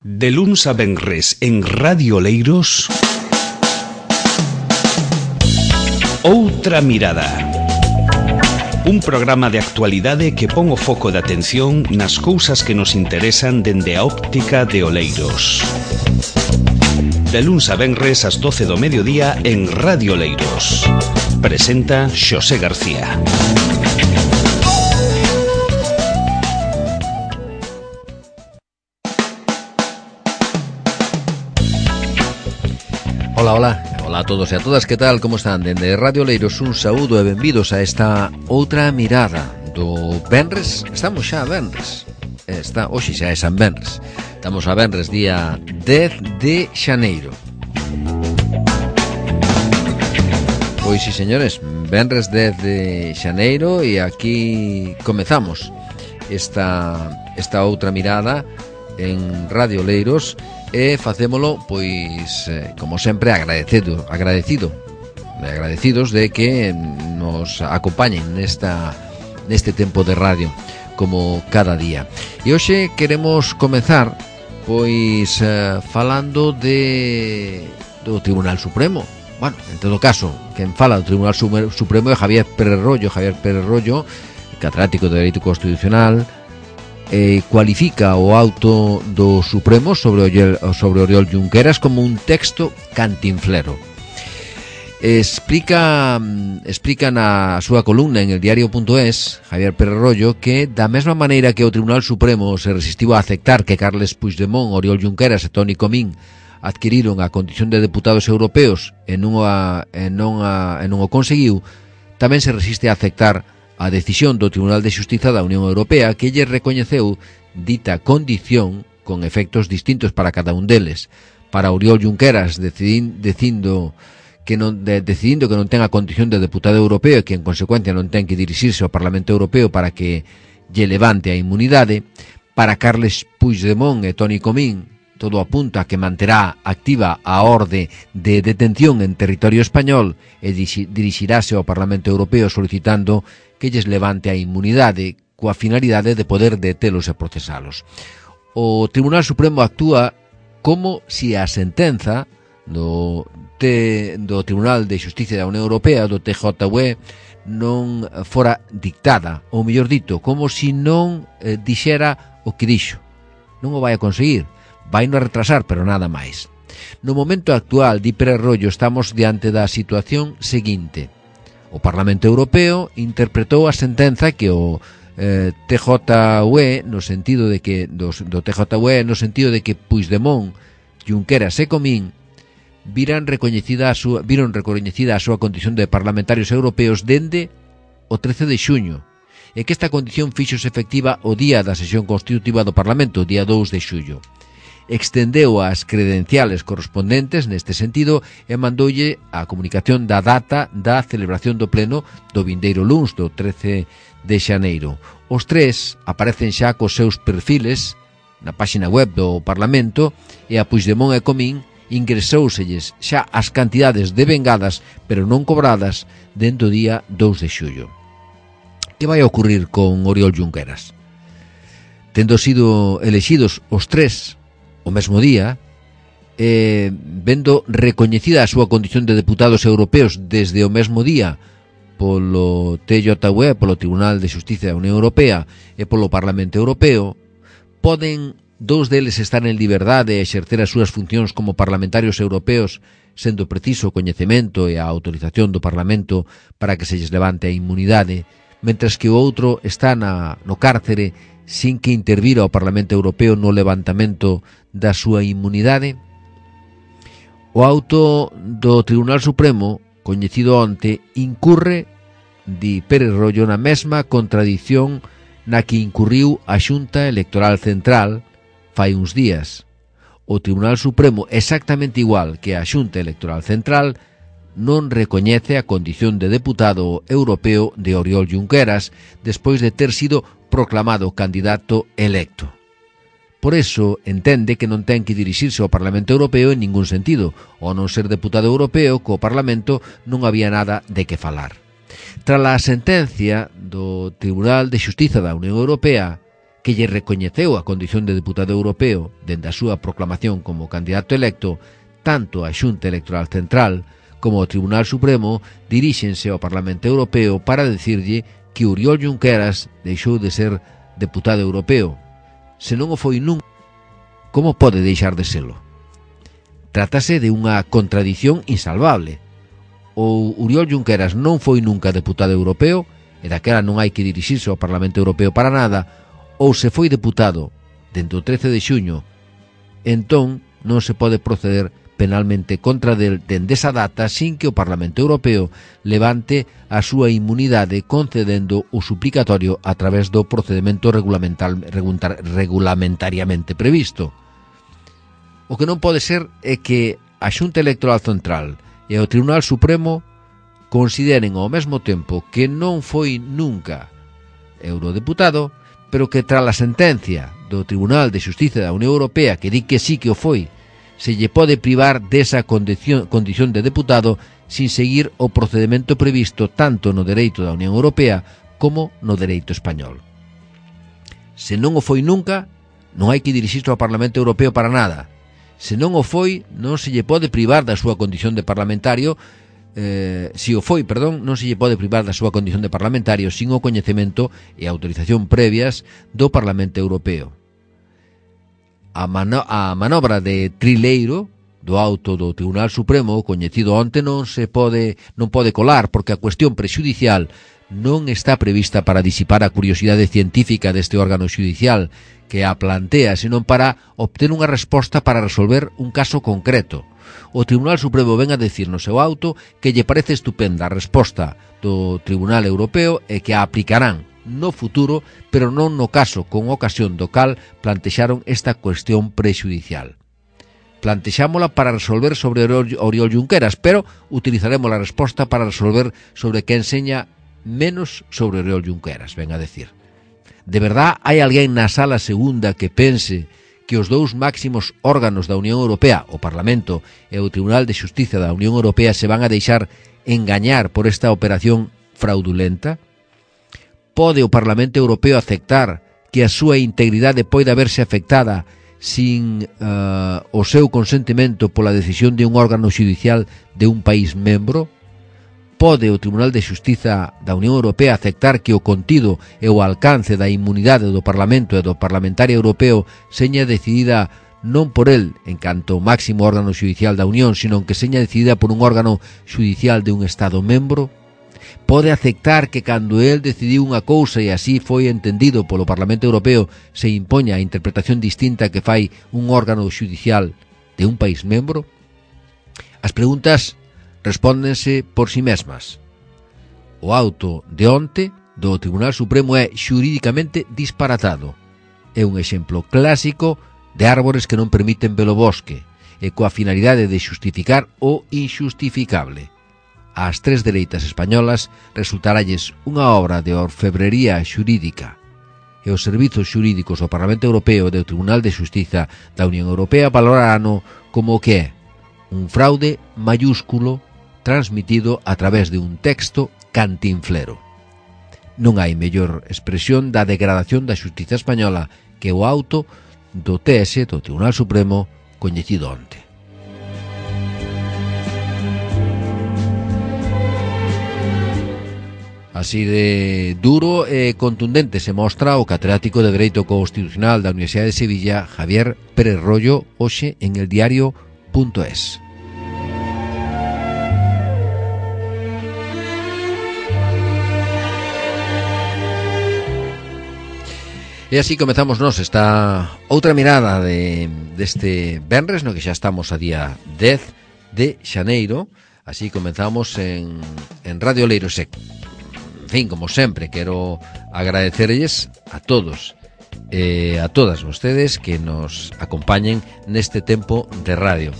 De luns a venres en Radio Oleiros, Outra Mirada. Un programa de actualidade que pon o foco de atención nas cousas que nos interesan dende a óptica de Oleiros. De luns a venres ás 12 do mediodía en Radio Oleiros. Presenta Xosé García. Hola a todos e a todas, que tal, como están? Dende Radio Oleiros un saúdo e benvidos a esta Outra Mirada do venres. Estamos xa a venres, hoxe xa é San Venres. Estamos a venres día 10 de xaneiro. Pois sí, señores, venres 10 de xaneiro e aquí comezamos esta Outra Mirada en Radio Oleiros. E facémolo, pois, como sempre, agradecidos de que nos acompañen neste tempo de radio, como cada día. E hoxe queremos comezar, pois, falando do Tribunal Supremo. Bueno, en todo caso, quen fala do Tribunal Supremo é Javier Pérez Rollo, catedrático de Dereito Constitucional. Cualifica o auto do Supremo sobre Oriol Junqueras como un texto cantinflero. Explica na súa columna en el diario.es Javier Pérez Rollo que da mesma maneira que o Tribunal Supremo se resistiu a aceptar que Carles Puigdemont, Oriol Junqueras e Toni Comín adquiriron a condición de deputados europeos e non o conseguiu, tamén se resiste a aceptar a decisión do Tribunal de Xustiza da Unión Europea que lle recoñeceu dita condición con efectos distintos para cada un deles. Para Oriol Junqueras, decidindo que non ten a condición de deputado europeo e que en consecuencia non ten que dirixirse ao Parlamento Europeo para que lle levante a inmunidade. Para Carles Puigdemont e Toni Comín, todo apunta a que manterá activa a orde de detención en territorio español e dirixirase ao Parlamento Europeo solicitando que lles levante a inmunidade coa finalidade de poder detelos e procesalos. O Tribunal Supremo actúa como se a sentenza do Tribunal de Xustiza da Unión Europea, do TJUE, non fora dictada, ou mellor dito, como se non dixera o que dixo. Non o vai a conseguir, vai non a retrasar, pero nada máis. No momento actual, di Pérez Rollo, estamos diante da situación seguinte. O Parlamento Europeo interpretou a sentenza que o TJUE no sentido de que Puigdemont, Junqueras e Comín viron recoñecida a súa condición de parlamentarios europeos dende o 13 de xuño e que esta condición fíxose efectiva o día da sesión constitutiva do Parlamento, o día 2 de xullo. Extendeu as credenciales correspondentes neste sentido e mandoulle a comunicación da data da celebración do pleno do vindeiro luns, do 13 de xaneiro. Os tres aparecen xa cos seus perfiles na páxina web do Parlamento e a Puigdemont e Comín ingresóuselles xa as cantidades devengadas, pero non cobradas, dentro do día 2 de xullo. Que vai a ocurrir con Oriol Junqueras? Tendo sido elexidos os tres o mesmo día, vendo recoñecida a súa condición de deputados europeos desde o mesmo día polo TJUE, polo Tribunal de Xustiza da Unión Europea e polo Parlamento Europeo, poden dous deles estar en liberdade e exercer as súas funcións como parlamentarios europeos, sendo preciso o coñecemento e a autorización do Parlamento para que se lles levante a inmunidade, mentres que o outro está no cárcere sin que intervira o Parlamento Europeo no levantamento da súa inmunidade. O auto do Tribunal Supremo, coñecido onte, incurre, di Pérez Rollo, na mesma contradición na que incurriu a Xunta Electoral Central fai uns días. O Tribunal Supremo, exactamente igual que a Xunta Electoral Central, non recoñece a condición de deputado europeo de Oriol Junqueras despois de ter sido proclamado candidato electo. Por eso entende que non ten que dirixirse ao Parlamento Europeo en ningún sentido, ao non ser deputado europeo, co Parlamento non había nada de que falar. Tras a sentencia do Tribunal de Xustiza da Unión Europea, que lle recoñeceu a condición de deputado europeo dende a súa proclamación como candidato electo, tanto a Xunta Electoral Central como o Tribunal Supremo diríxense ao Parlamento Europeo para decirlle que Oriol Junqueras deixou de ser deputado europeo. Se non o foi nunca, como pode deixar de selo? Trátase de unha contradición insalvable. Ou Oriol Junqueras non foi nunca deputado europeo, e daquela non hai que dirixirse ao Parlamento Europeo para nada, ou se foi deputado dentro do 13 de xuño, entón non se pode proceder penalmente contra del dende esa data sin que o Parlamento Europeo levante a súa inmunidade concedendo o suplicatorio a través do procedimento regulamentariamente previsto. O que non pode ser é que a Xunta Electoral Central e o Tribunal Supremo consideren ao mesmo tempo que non foi nunca eurodeputado, pero que tras a sentencia do Tribunal de Xustiza da Unión Europea que di que sí que o foi, se lle pode privar desa condición de deputado sin seguir o procedimento previsto tanto no dereito da Unión Europea como no dereito español. Se non o foi nunca, non hai que dirixirse ao Parlamento Europeo para nada. Se non o foi, non se lle pode privar da súa condición de parlamentario, non se lle pode privar da súa condición de parlamentario sin o coñecemento e autorización previas do Parlamento Europeo. A manobra de trileiro do auto do Tribunal Supremo coñecido onte non pode colar porque a cuestión prexudicial non está prevista para disipar a curiosidade científica deste órgano xudicial que a plantea, senón para obter unha resposta para resolver un caso concreto. O Tribunal Supremo ven a decir no seu auto que lle parece estupenda a resposta do Tribunal Europeo e que a aplicarán no futuro, pero non no caso con ocasión do cal plantexaron esta cuestión prexudicial. Plantexámola para resolver sobre Oriol Junqueras, pero utilizaremos a resposta para resolver sobre que enseña menos sobre Oriol Junqueras, ven a decir. De verdad hai alguén na sala segunda que pense que os dous máximos órganos da Unión Europea, o Parlamento e o Tribunal de Xustiza da Unión Europea, se van a deixar engañar por esta operación fraudulenta? Pode o Parlamento Europeo aceptar que a súa integridade poida verse afectada sin o seu consentimento pola decisión de un órgano xudicial de un país membro? Pode o Tribunal de Xustiza da Unión Europea aceptar que o contido e o alcance da inmunidade do Parlamento e do parlamentario europeo seña decidida non por el en canto máximo órgano xudicial da Unión, sino que seña decidida por un órgano xudicial de un Estado membro? Pode aceptar que cando el decidiu unha cousa e así foi entendido polo Parlamento Europeo se impoña a interpretación distinta que fai un órgano xudicial de un país membro? As preguntas respóndense por si mesmas. O auto de onte do Tribunal Supremo é xurídicamente disparatado. É un exemplo clásico de árbores que non permiten ver o bosque e coa finalidade de xustificar o inxustificable. Ás tres dereitas españolas resultaralles unha obra de orfebrería xurídica e os servizos xurídicos do Parlamento Europeo e do Tribunal de Xustiza da Unión Europea valorarano como o que é un fraude mayúsculo transmitido a través de un texto cantinflero. Non hai mellor expresión da degradación da xustiza española que o auto do TS, do Tribunal Supremo, coñecido onte. Así de duro e contundente se mostra o catedrático de Dereito Constitucional da Universidade de Sevilla, Javier Pérez Royo, hoxe en el diario.es. E así comezamos nos esta outra mirada deste venres, no que xa estamos a día 10 de xaneiro. Así comezamos en Radio Oleiros. En fin, como sempre, quero agradecerlles a todos e a todas vostedes que nos acompañen neste tempo de radio.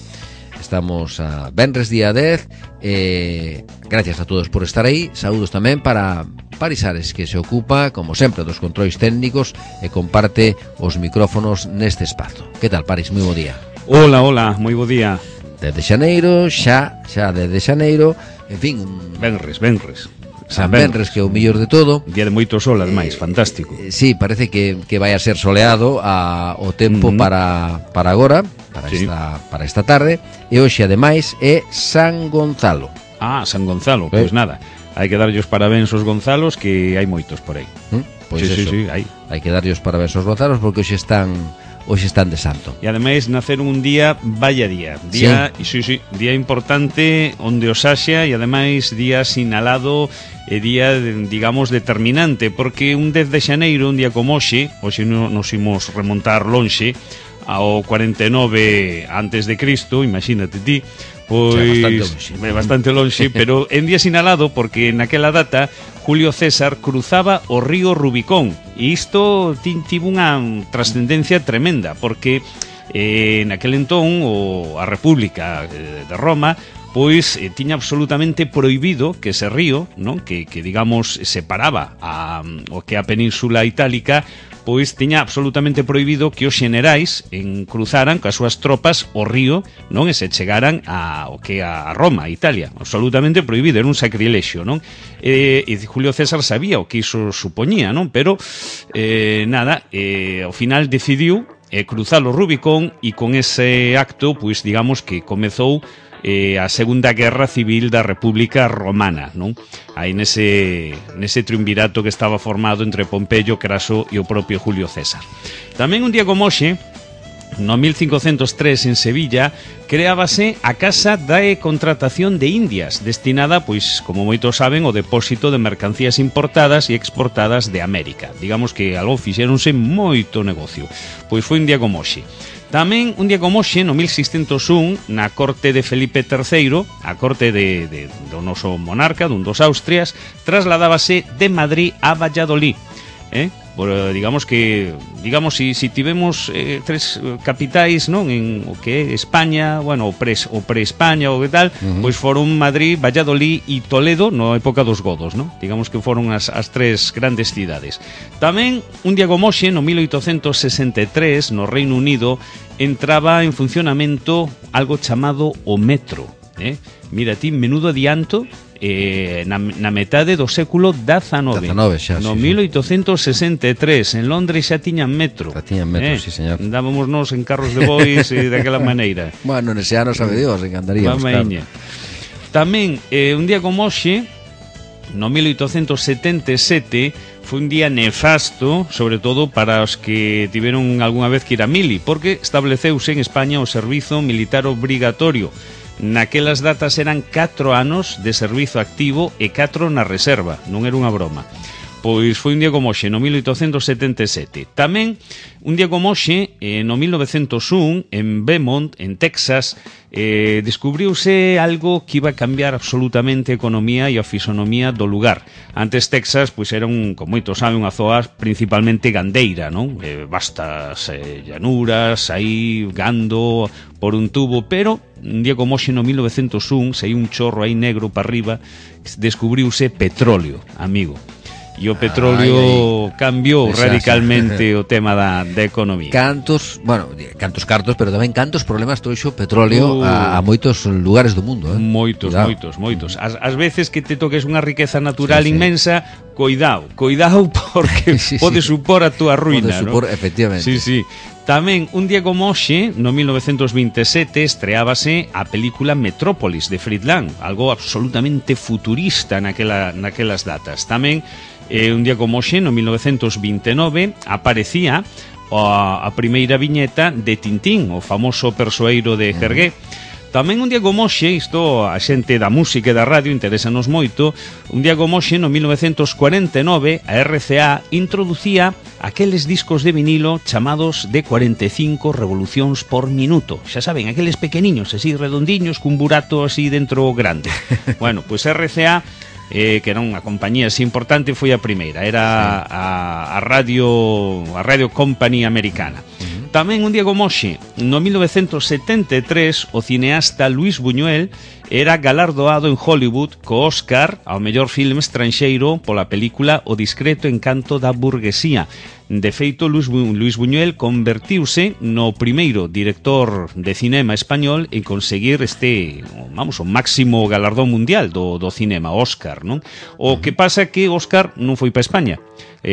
Estamos a venres día 10 e gracias a todos por estar aí. Saúdos tamén para Parisares, que se ocupa, como sempre, dos controis técnicos e comparte os micrófonos neste espazo. Que tal, Paris? Moi bo día. Hola, moi bo día. Desde xaneiro, xa desde xaneiro, en fin... Venres. San Benres, que é o mellor de todo. Día de moito sol, ademais, fantástico. Sí, parece que vai a ser soleado o tempo para agora, para esta tarde. E hoxe, ademais, é San Gonzalo. San Gonzalo, pois nada. Hai que darlle os parabéns aos Gonzalos, que hai moitos por aí. Pois sí, hai que darlle os parabéns aos Gonzalos, porque hoxe están de santo. E ademais naceron un día, vaya día, día importante onde os haxa, e ademais día sinalado e día, digamos, determinante, porque un 10 de xaneiro, un día como hoxe nos imos remontar lonxe ao 49 antes de Cristo, imagínate ti, pois bastante lonxe, pero en día sinalado porque naquela data Julio César cruzaba o río Rubicón, e isto tivo unha trascendencia tremenda, porque naquel entón a República de Roma pois tiña absolutamente prohibido que ese río, non, que digamos separaba o que a Península Itálica, pois tiña absolutamente prohibido que os xenerais cruzaran coas súas tropas o río, non, e se chegaran a Roma, a Italia. Absolutamente prohibido, era un sacrilexio, non? E Julio César sabía o que iso supoñía, non? Pero ao final decidiu cruzar o Rubicón, e con ese acto, pois digamos que comezou a Segunda Guerra Civil da República Romana, non? Aí nese triunvirato que estaba formado entre Pompeyo, Craso e o propio Julio César. Tamén un día como hoxe, no 1503 en Sevilla, creábase a Casa de Contratación de Indias, destinada, pois, como moitos saben, ao depósito de mercancías importadas e exportadas de América. Digamos que algo fixéronse moito negocio. Pois foi un día como hoxe. Tamén un día como hoxe, no 1601, na corte de Felipe III, a corte do noso monarca, dun dos Austrias, trasladábase de Madrid a Valladolid. Digamos si tivemos tres capitais, non, en o que é España, bueno, o pre-España ou que tal, pois foron Madrid, Valladolid e Toledo na época dos godos, non? Digamos que foron as tres grandes cidades. Tamén un día como hoxe, no 1863, no Reino Unido, entraba en funcionamento algo chamado o metro. Mira ti, menudo adianto na metade do século XIX, no 1863 en Londres xa tiñan metro. Sí, señor. Andábamos nos en carros de bois daquela maneira. Bueno, nese ano sabe Dios, encantaríamos, claro. Tamén un día como hoxe, no 1877, foi un día nefasto, sobre todo para os que tiveron algunha vez que ir a mili, porque estableceuse en España o servizo militar obrigatorio. Naquelas datas eran 4 anos de servizo activo e 4 na reserva, non era unha broma. Pois foi un día como hoxe, no 1877. Tamén, un día como hoxe, no 1901, en Beaumont, en Texas, descubriuse algo que iba a cambiar absolutamente a economía e a fisonomía do lugar. Antes Texas, pois era como moito sabe, unha zoa principalmente gandeira, non? Vastas llanuras, aí gando por un tubo, pero un día como hoxe, no 1901, saiu un chorro aí negro para arriba, descubriuse petróleo, amigo. E o petróleo cambiou radicalmente o tema da economía. Cantos cartos, pero tamén cantos problemas trouxo o petróleo a moitos lugares do mundo, Moitos. As veces que te toques unha riqueza natural inmensa, cuidado, porque pode supor a túa ruína, ¿no? Efectivamente. Sí. Tamén, un día como hoxe, no 1927, estreábase a película Metrópolis de Friedland, algo absolutamente futurista naquelas datas. Tamén, un día como hoxe, no 1929, aparecía a primeira viñeta de Tintín, o famoso persoeiro de Hergé. Tamén un día como hoxe, isto a xente da música e da radio interésanos moito, un día como hoxe, no 1949, a RCA introducía aqueles discos de vinilo chamados de 45 revolucións por minuto. Xa saben, aqueles pequeniños, así redondiños, cun burato así dentro grande. Bueno, pois RCA, que era unha compañía así importante, foi a primeira, era a Radio Company americana. Tamén un día como hoxe, no 1973, o cineasta Luis Buñuel era galardoado en Hollywood co Oscar ao mellor filme estranxeiro pola película O discreto encanto da burguesía. De feito, Luis Buñuel convertiuse no primeiro director de cinema español en conseguir o máximo galardón mundial do cinema, Óscar, non? O que pasa que Óscar non foi para España,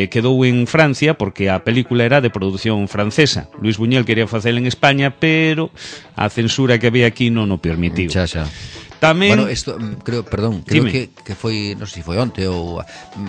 quedou en Francia porque a película era de produción francesa. Luis Buñuel quería facela en España, pero a censura que había aquí non o permitiu. Xa. Tamén... Bueno, isto, creo que foi, non sei se foi onte ou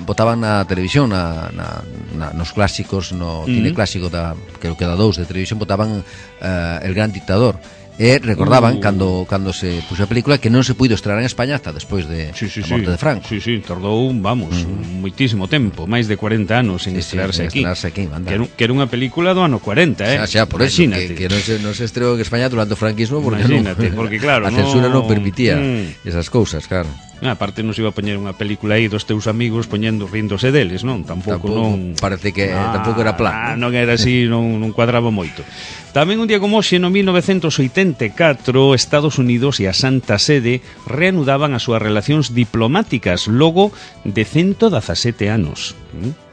botaban na televisión nos clásicos, no cine clásico creo que da 2 de televisión, botaban El Gran Dictador. E recordaban cando se puxo a película que non se puido estrear en España hasta despois de a morte de Franco. Sí, tardou, moitísimo tempo, máis de 40 anos en estrearse aquí. Que era unha película do ano 40, Xa, por eso, que non se estreou en España durante o franquismo porque claro, a censura non permitía esas cousas, claro. Aparte non se iba a poñer unha película aí dos teus amigos ríndose deles, non? Tampouco parece que tampouco era plan. Non era así, non cuadraba moito. Tamén un día como hoxe, no 1984, Estados Unidos e a Santa Sede reanudaban as súas relacións diplomáticas logo de 117 anos.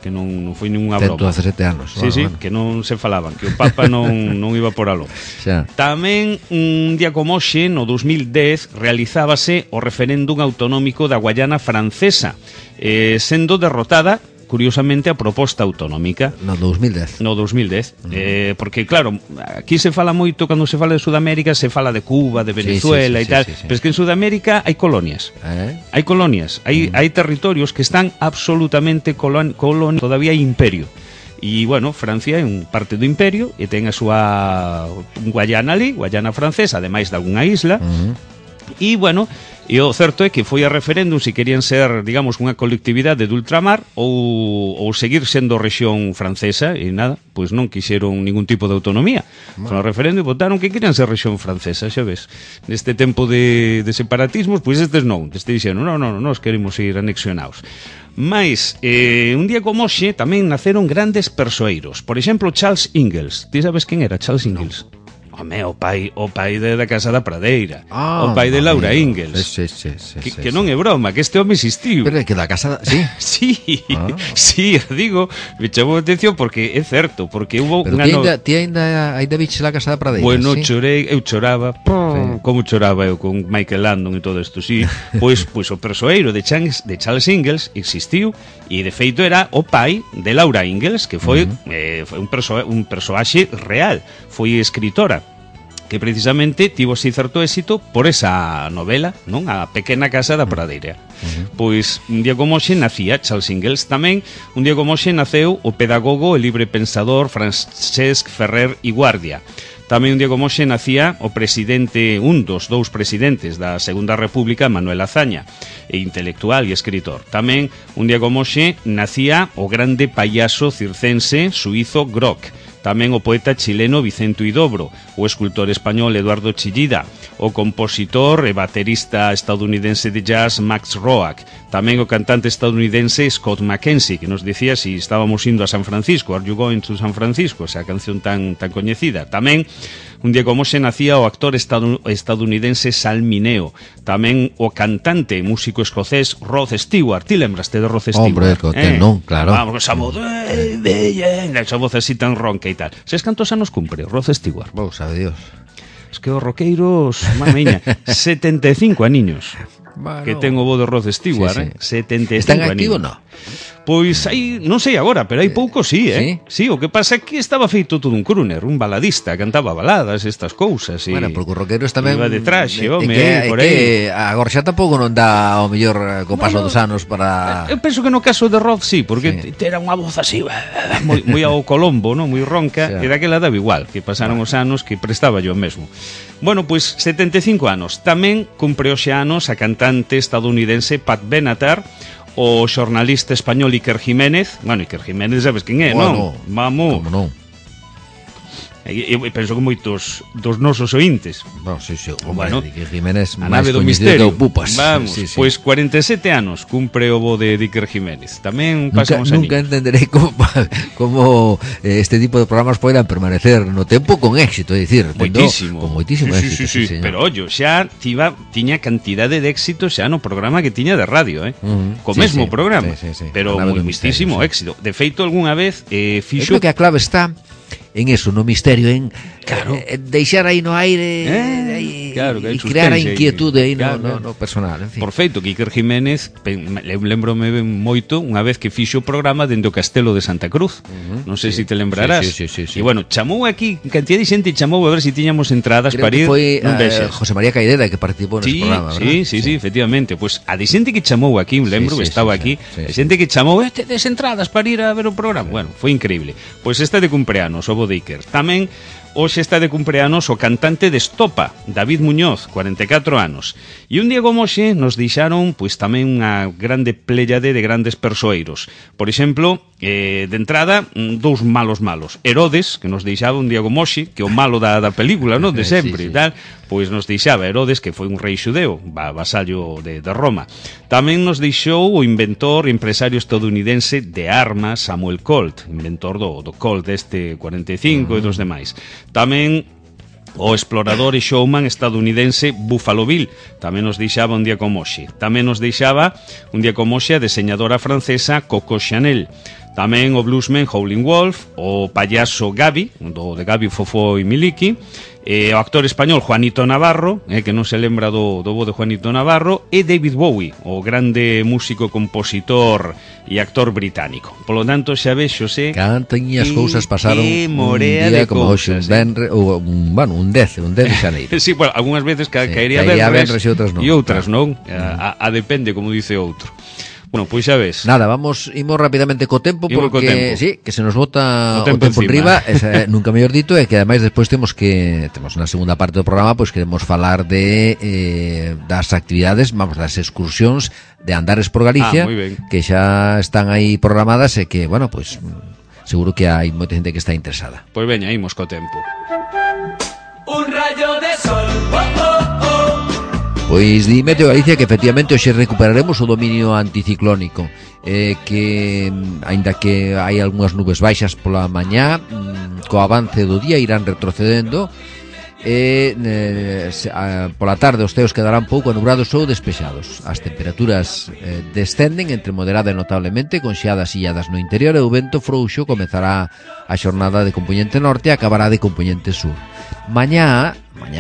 Que non foi ninguna broma. 117 anos. Sí, que non se falaban, que o Papa non iba por aló. Tamén un día como hoxe, no 2010, realizábase o referéndum autonómico da Guayana Francesa, sendo derrotada curiosamente a proposta autonómica. No 2010. Porque claro, aquí se fala moito, cando se fala de Sudamérica se fala de Cuba, de Venezuela e tal, pero es que en Sudamérica hai colonias. Hai colonias, hai territorios que están absolutamente todavía hai imperio. E, bueno, Francia é un parte do imperio e ten a súa Guayana ali, Guayana francesa, ademais de algunha isla. E, bueno, e o certo é que foi a referéndum se querían ser, digamos, unha colectividade de ultramar ou seguir sendo rexión francesa, e nada, pois non quixeron ningún tipo de autonomía. Con o referéndum votaron que querían ser rexión francesa, xa ves. Neste tempo de separatismos, pois estes non, dixeron, non, nós queremos ir anexionados. Mais, un día como hoxe tamén naceron grandes persoeiros. Por exemplo, Charles Ingalls. Ti sabes quen era Charles Ingalls? Home, o pai da Casa da Pradeira, o pai de Laura Ingalls. Que non é broma, que este home existiu. Pero é que da Casa da... Sí? Sí, digo, me chamou a atención porque é certo, porque hubo... Pero ti ainda viches la Casa da Pradeira? Bueno, eu choraba, como choraba eu con Michael Landon e todo isto, sí. Pois o persoeiro de Charles Ingalls existiu e de feito era o pai de Laura Ingalls, que foi un persoaxe real, foi escritora, que precisamente tivo así certo éxito por esa novela, non? A Pequena Casa da Pradeira. Pois un día como hoxe nacía Charles Ingalls. Tamén un día como hoxe naceu o pedagogo e libre pensador Francesc Ferrer i Guardia. Tamén un día como hoxe nacía o presidente, un dos dous presidentes da Segunda República, Manuel Azaña, e intelectual e escritor. Tamén un día como hoxe nacía o grande payaso circense suizo Grock. Tamén o poeta chileno Vicente Huidobro, o escultor español Eduardo Chillida, o compositor e baterista estadounidense de jazz Max Roach, tamén o cantante estadounidense Scott McKenzie, que nos dicía si estábamos indo a San Francisco, Are You Going to San Francisco, esa canción tan coñecida. Tamén un día como se nacía o actor estadounidense Sal Mineo, tamén o cantante e músico escocés Rod Stewart. Ti lembraste de Rod Stewart? Hombre, non, claro. Vamos, esa voz así tan ronca e tal. Ses cantos anos cumpre Rod Stewart? Vou, sabe Dios. Es que os roqueiros, mamiña, 75 aniños. Bueno, que ten o bo de Rod Stewart, sí. 75 Están activo, non? Pois aí, non sei agora, pero hai pouco sí, Sí, o que pasa é que estaba feito todo un crooner, un baladista, cantaba baladas, estas cousas. Bueno, porque os roqueiros tamén... Iba de traxe, home, por aí. Agora xa tampouco non dá o mellor co paso dos anos para... Eu penso que no caso de Rod sí, porque era unha voz así, moi ao Colombo, non? Moi ronca, e daquela daba igual, que pasaron os anos que prestaba yo mesmo. Bueno, pois 75 anos. Tamén cumpre hoxe anos a cantante estadounidense Pat Benatar, o xornalista español Iker Jiménez. Bueno, Iker Jiménez sabes quen é, non? Vamos. Como non? Eu penso que moitos dos nosos ointes. Sí, Bueno, Iker Jiménez a máis nave do coñecido misterio. que o Pupas. Vamos, Sí. pois 47 anos cumpre o bo de Iker Jiménez. Tamén pasa uns Nunca aninhos. entenderei como este tipo de programas poidan permanecer no tempo con éxito, é dicir, Moitísimo. con moitísimo éxito, sí. señor. Pero ollo, xa tiña cantidade de éxito xa no programa que tiña de radio, co Sí, mesmo sí. programa, Sí. pero A nave do moitísimo misterio, sí. éxito. De feito, algunha vez Eu fixo creo que a clave está en eso, no misterio, en Claro. deixar aí no aire claro, que hai e crear a suspense aí. inquietude aí Claro. no personal, en fin. Por feito que Iker Jiménez lembrome moito unha vez que fixo o programa dende o Castelo de Santa Cruz. Non sei se te lembrarás. Sí. E bueno, chamou aquí, cantidad de xente chamou a ver se tiñamos entradas Creo para que ir. foi Non vexas. José María Caideda que participou nese programa, ¿verdad? Sí, efectivamente. Pois a de xente que chamou aquí, lembro que estaba aquí, a xente que chamou, des entradas para ir a ver o programa. Bueno, foi increíble. Pois esta de cumpleanos, o bo de Iker. Tamén hoxe está de cumpleanos o cantante de Estopa, David Muñoz, 44 anos. E un día como hoxe nos deixaron pois tamén unha grande pléyade de grandes persoeiros. Por exemplo, de entrada, dous malos. Herodes, que nos deixaba un día como hoxe, que o malo da película, non? De sempre, Sí. tal, pois nos deixaba Herodes, que foi un rei xudeo, vasallo de Roma. Tamén nos deixou o inventor e empresario estadounidense de armas, Samuel Colt, inventor do Colt este 45 e dos demais. Tamén o explorador e showman estadounidense Buffalo Bill, tamén nos deixaba un día como hoxe. Tamén nos deixaba un día como hoxe a deseñadora francesa Coco Chanel. Tamén o bluesman Howlin' Wolf, o payaso Gabi, de Gabi, Fofó e Miliki, o actor español Juanito Navarro, que non se lembra do bo de Juanito Navarro, e David Bowie, o grande músico, compositor e actor británico. Polo tanto, xa vexose Cantañas cousas pasaron que un morea día de como hoxe, un 10 de xaneiro. Sí, bueno, algunhas veces caería caería venres venres e outras non. E outras non. A depende, como dice outro. Bueno, pois xa ves. Nada, imos rapidamente co tempo Imos porque co tempo. sí, que se nos bota o O tempo tempo encima. enriba, nunca mellor dito, e que ademais despois temos na segunda parte do programa, pois queremos falar de das actividades, das excursións de Andares por Galicia, moi ben. que xa están aí programadas e que, bueno, pois seguro que hai moita xente que está interesada. Pois veña, imos co tempo. Un rayo de sol, Pois di Meteo Galicia que efectivamente hoxe recuperaremos o dominio anticiclónico, que aínda que hai algunhas nubes baixas pola mañá, co avance do día irán retrocedendo e pola tarde os ceos quedarán pouco nubrados ou despexados. As temperaturas descenden entre moderada e notablemente, con xeadas e illadas no interior, e o vento frouxo comezará a xornada de compoñente norte e acabará de compoñente sur. Mañá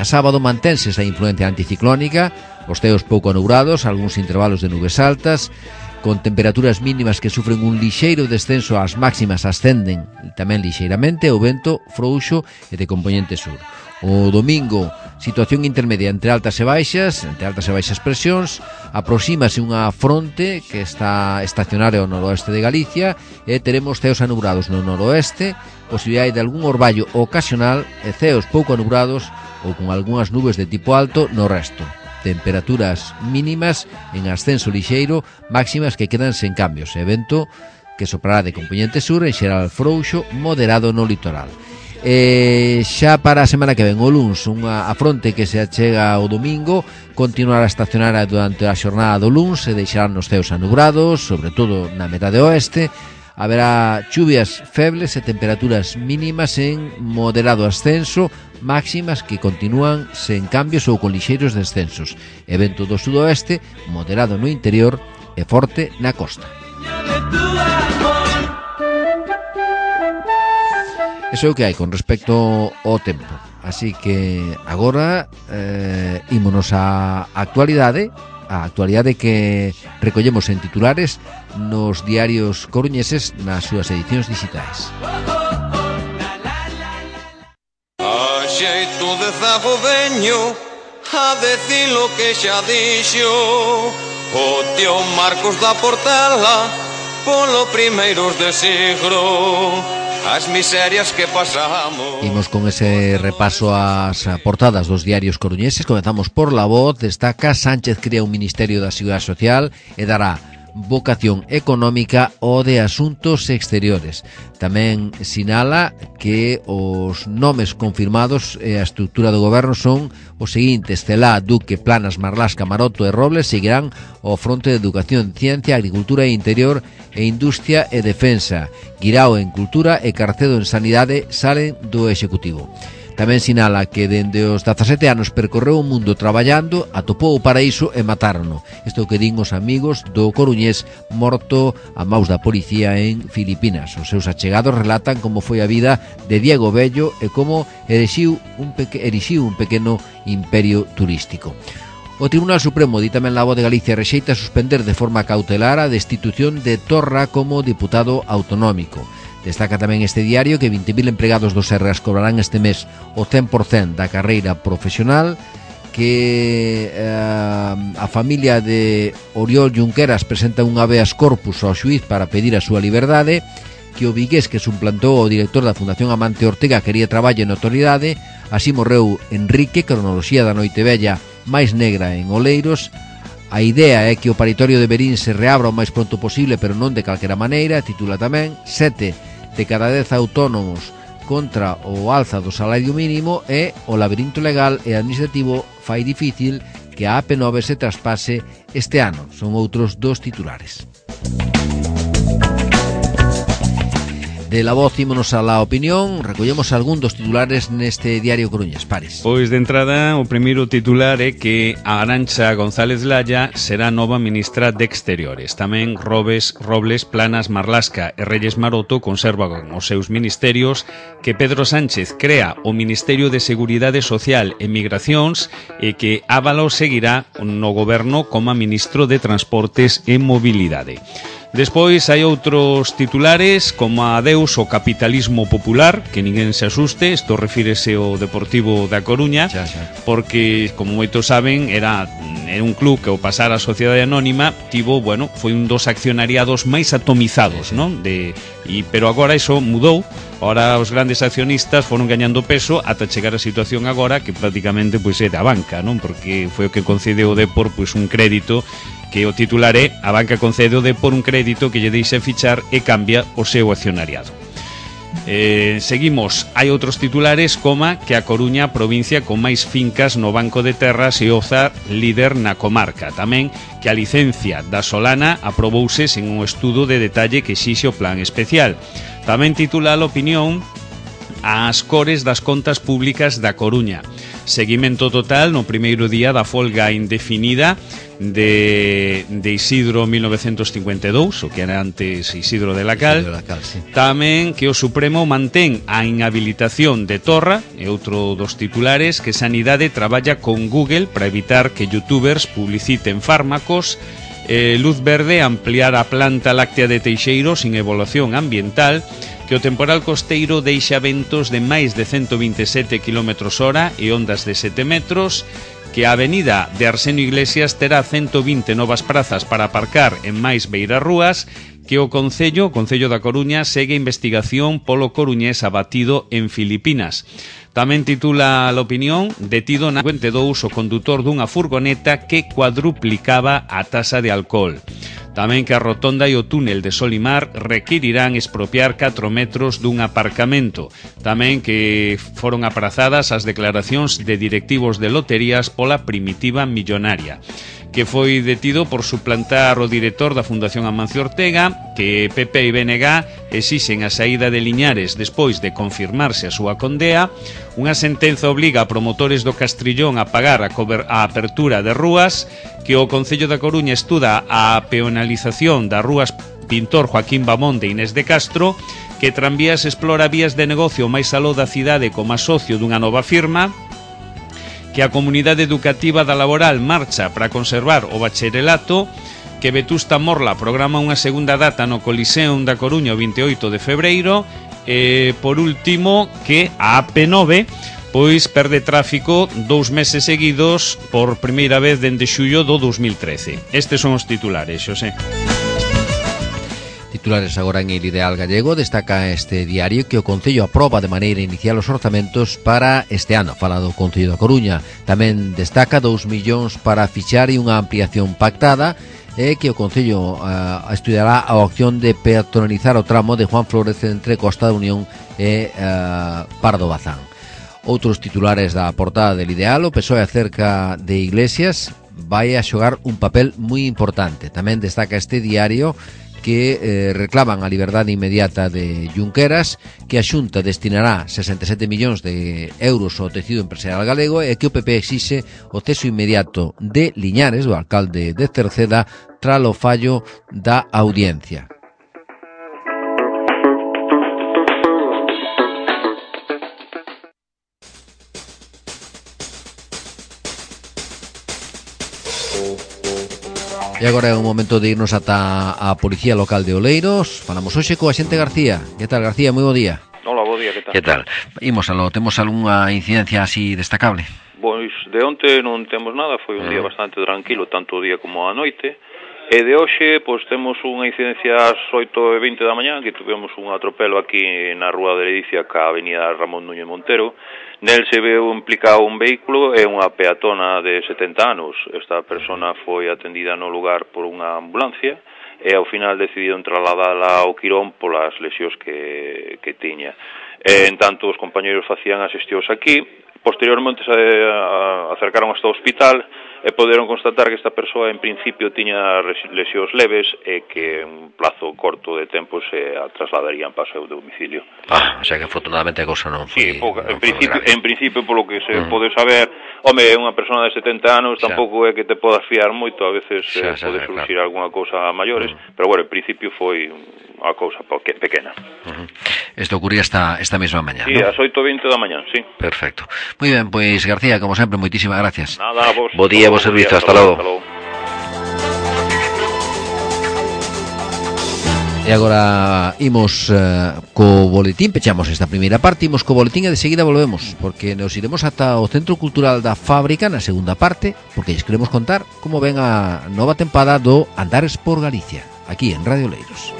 sábado mantense esa influencia anticiclónica, os ceos pouco nubrados, algúns intervalos de nubes altas, con temperaturas mínimas que sufren un lixeiro descenso, as máximas ascenden tamén lixeiramente, o vento frouxo e de compoñente sur. O domingo, situación intermedia entre altas e baixas presións, aproxímase unha fronte que está estacionaria ao noroeste de Galicia e teremos ceos anubrados no noroeste, posibilidade de algún orballo ocasional e ceos pouco anubrados ou con algunhas nubes de tipo alto no resto. Temperaturas mínimas en ascenso lixeiro, máximas que quedan sen cambios, e vento que soprará de compoñente sur, en xeral frouxo, moderado no litoral. Xa para a semana que ven, o luns, a fronte que se achega o domingo continuará estacionaria durante a xornada do luns e deixarán os ceos anubrados, sobre todo na metade oeste. Haberá chuvias febles e temperaturas mínimas en moderado ascenso, máximas que continúan sen cambios ou con lixeiros descensos, e vento do sudoeste moderado no interior e forte na costa. Eso é o que hai con respecto ao tempo. Así que agora ímonos á actualidade, a actualidade que recollemos en titulares nos diarios coruñeses nas súas edicións digitais. A xeito de zago veño a decir lo que xa dixo o tío Marcos da Portela polo primeiros de siglo. As miserias que pasamos. Imos con ese repaso ás portadas dos diarios coruñeses. Comezamos por La Voz. Destaca: Sánchez crea un Ministerio da Seguridade Social e dará vocación económica ou de asuntos exteriores. Tamén sinala que os nomes confirmados e a estrutura do goberno son os seguintes: Celá, Duque, Planas, Marlasca, Maroto e Robles seguirán ao fronte de Educación, Ciencia, Agricultura e Interior e Industria e Defensa. Guirao en Cultura e Carcedo en Sanidade salen do Executivo. Tamén sinala que dende os 17 anos percorreu o mundo traballando, atopou o paraíso e matárono. Isto que din os amigos do coruñés morto a maus da policía en Filipinas. Os seus achegados relatan como foi a vida de Diego Bello e como erixiu un pequeno imperio turístico. O Tribunal Supremo di tamén la Voz de Galicia rexeita suspender de forma cautelar a destitución de Torra como diputado autonómico. Destaca tamén este diario que 20.000 empregados do Sergas cobrarán este mes o 100% da carreira profesional, que a familia de Oriol Junqueras presenta un habeas corpus ao xuiz para pedir a súa liberdade, que o vigués que suplantou o director da Fundación Amante Ortega quería traballo en autoridade, así morreu Enrique, cronoloxía da noite vella máis negra en Oleiros. A idea é que o paritorio de Berín se reabra o máis pronto posible, pero non de calquera maneira. Titula tamén 7 de cada 10 autónomos contra o alza do salario mínimo e o labirinto legal e administrativo fai difícil que a AP9 se traspase este ano. Son outros dos titulares. De La Voz ímonos a La Opinión. Recollemos algún dos titulares neste diario coruñés. Pares. Pois de entrada o primeiro titular é que a Arantxa González Laya será nova ministra de Exteriores. Tamén Robles, Planas, Marlasca e Reyes Maroto conservan os seus ministerios, que Pedro Sánchez crea o Ministerio de Seguridade Social e Migracións e que Ábalos seguirá no goberno como ministro de Transportes e Mobilidade. Despois hai outros titulares como adeus ao capitalismo popular, que ninguén se asuste, isto refírese ao Deportivo da Coruña, porque, como moitos saben, era un club que ao pasar a Sociedade Anónima foi un dos accionariados máis atomizados, non? Pero agora iso mudou. Ahora os grandes accionistas foron gañando peso ata chegar a situación agora que prácticamente é da banca, non? Porque foi o que concedeu o Depor un crédito, que o titular é: a banca concede ao Depor un crédito que lle deixa fichar e cambia o seu accionariado. Seguimos, hai outros titulares como que a Coruña, provincia con máis fincas no Banco de Terras, e Oza líder na comarca. Tamén que a licencia da Solana aprobouse sen un estudo de detalle que exixe o plan especial. Tamén titula a Opinión as cores das contas públicas da Coruña. Seguimento total no primeiro día da folga indefinida de Isidro 1952, o que era antes Isidro de la Cal. Sí. Tamén que o Supremo mantén a inhabilitación de Torra, e outro dos titulares, que Sanidade traballa con Google para evitar que youtubers publiciten fármacos. Luz verde ampliar a planta láctea de Teixeiro sin evaluación ambiental, que o temporal costeiro deixa ventos de máis de 127 km/h e ondas de 7 metros, que a avenida de Arsenio Iglesias terá 120 novas prazas para aparcar en máis beirarrúas, que o Concello da Coruña segue investigación polo coruñés abatido en Filipinas. Tamén titula a Opinión: detido na 52 o condutor dunha furgoneta que cuadruplicaba a tasa de alcohol. Tamén que a rotonda e o túnel de Solimar requirirán expropiar 4 metros dun aparcamento. Tamén que foron aprazadas as declaracións de directivos de loterías pola Primitiva Millonaria, que foi detido por suplantar o director da Fundación Amancio Ortega, que PP e BNG exixen a saída de Liñares despois de confirmarse a súa condea. Unha sentenza obliga a promotores do Castrillón a pagar a apertura de rúas, que o Concello da Coruña estuda a peonalización das rúas Pintor Joaquín Bamón de Inés de Castro, que Tranvías explora vías de negocio máis aló da cidade como socio dunha nova firma, que a comunidade educativa da Laboral marcha para conservar o bacharelato, que Vetusta Morla programa unha segunda data no Coliseum da Coruña o 28 de febreiro, e, por último, que a AP9 perde tráfico 2 meses seguidos por primeira vez dende xullo do 2013. Estes son os titulares, Xosé. Titulares agora en El Ideal Gallego. Destaca este diario que o Concello aproba de maneira inicial os orzamentos para este ano. Fala do Concello da Coruña. Tamén destaca 2 millóns para fichar e unha ampliación pactada, é que o Concello estudiará a opción de peatonalizar o tramo de Juan Flórez entre Costa da Unión e Pardo Bazán. Outros titulares da portada del Ideal: o PSOE acerca de Iglesias vai a xogar un papel moi importante. Tamén destaca este diario que reclaman a liberdade inmediata de Junqueras, que a Xunta destinará 67 millóns de euros ao tecido empresarial galego e que o PP exixe o ceso inmediato de Liñares, do alcalde de Cerceda, tras o fallo da audiencia. E agora é o momento de irnos ata a Policía Local de Oleiros. Falamos hoxe co axente García. Que tal, García? Moi bo día. Hola, bo día, que tal? Que tal? Imos aló, temos algunha incidencia así destacable? Pois de onte non temos nada, foi un día bastante tranquilo, tanto o día como a noite. E de hoxe, pois temos unha incidencia ás 8:20 da mañá, que tivemos un atropelo aquí na Rúa de Ledicia, ca avenida Ramón Núñez Montero. Nel se veu implicado un vehículo e unha peatona de 70 anos. Esta persona foi atendida no lugar por unha ambulancia e ao final decidiron trasladala ao Quirón polas lesións que tiña. En tanto, os compañeros facían as xestións aquí. Posteriormente se acercaron hasta o hospital e poderon constatar que esta persoa en principio tiña lesións leves e que en un plazo corto de tempo se trasladarían para o seu domicilio. O sea que afortunadamente a cousa non foi... Sí, en principio, polo que se pode saber, home, é unha persona de 70 anos, tampouco é que te podas fiar moito, a veces pode surgir algunha cousa a maiores, pero bueno, en principio foi unha cousa pequena. Isto ocurría esta mesma mañá, Sí, ás 8:20 da mañá, sí. Perfecto. Moi ben, pois García, como sempre, moitísimas gracias. Nada, a vos. Bo día, bo servizo, hasta logo. E agora imos co boletín, pechamos esta primeira parte, imos co boletín e de seguida volvemos, porque nos iremos ata o Centro Cultural da Fábrica na segunda parte, porque lles queremos contar como ven a nova tempada do Andares por Galicia, aquí en Radio Oleiros.